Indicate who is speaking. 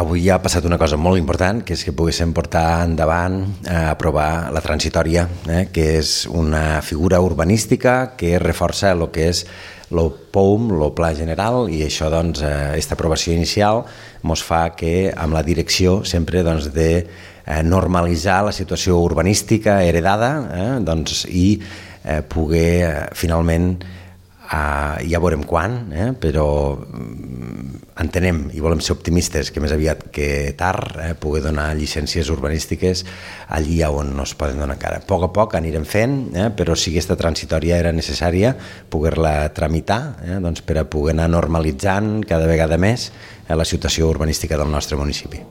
Speaker 1: Avui ha passat una cosa molt important, que és que poguéssim portar endavant aprovar la transitòria, que és una figura urbanística que reforça el que és el POUM, el Pla General, i això, doncs, aquesta aprovació inicial ens fa que, amb la direcció sempre de normalitzar la situació urbanística heredada, i poder finalment, ja veurem quan, però entenem i volem ser optimistes que més aviat que tard poder donar llicències urbanístiques allí on no es poden donar encara. A poc anirem fent, però sí que aquesta transitòria era necessària poder-la tramitar per a poder anar normalitzant cada vegada més la situació urbanística del nostre municipi.